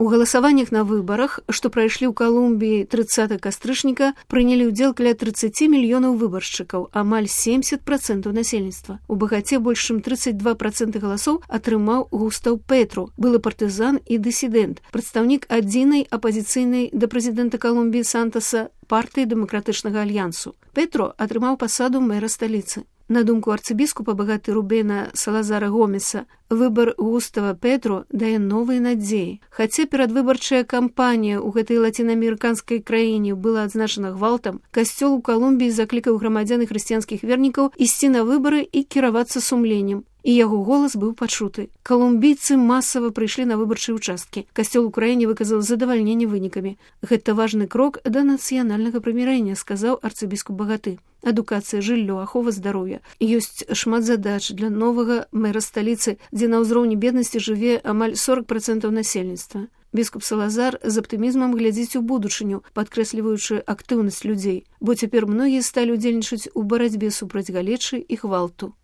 У галасаваннях на выбарах, што прайшлі ў Калумбіі 30 кастрычніка, прынялі ўдзел каля 30 мільёнаў выбаршчыкаў, амаль 70% насельніцтва. У Багаце больш чым 32% галасоў атрымаў Густаў Петру, былы партызан і дысідэнт, прадстаўнік адзінай апазіцыйнай да прэзідэнта Калумбіі Сантаса партыі дэмакратычнага альянсу. Петро атрымаў пасаду мэра сталіцы. На думку арцыбіскупа Багаты Рубена Салазара Гомеса, выбар Густава Петру дае новыя надзеі. Хаця перадвыбарчая кампанія ў гэтай лацінаамерыканскай краіне была адзначана гвалтам, касцёл у Калумбіі заклікаў грамадзян і хрысціянскіх вернікаў ісці на выбары і кіравацца сумленнем. І яго голас быў пачуты. Калумбійцы масава прыйшлі на выбарчыя ўчасткі. Касцёл у краіне выказаў задавальненне вынікамі. Гэта важны крок да нацыянальнага прымірэння, сказаў арцыбіскуп Багаты. Адукацыя, жыллё, ахова здароўя. Ёсць шмат задач для новага мэра сталіцы, дзе на ўзроўні беднасці жыве амаль 40% насельніцтва. Біскуп Салазар з аптымізмам глядзіць у будучыню, падкрэсліваючы актыўнасць людзей, бо цяпер многія сталі ўдзельнічаць у барацьбе супраць галечы і гвалту.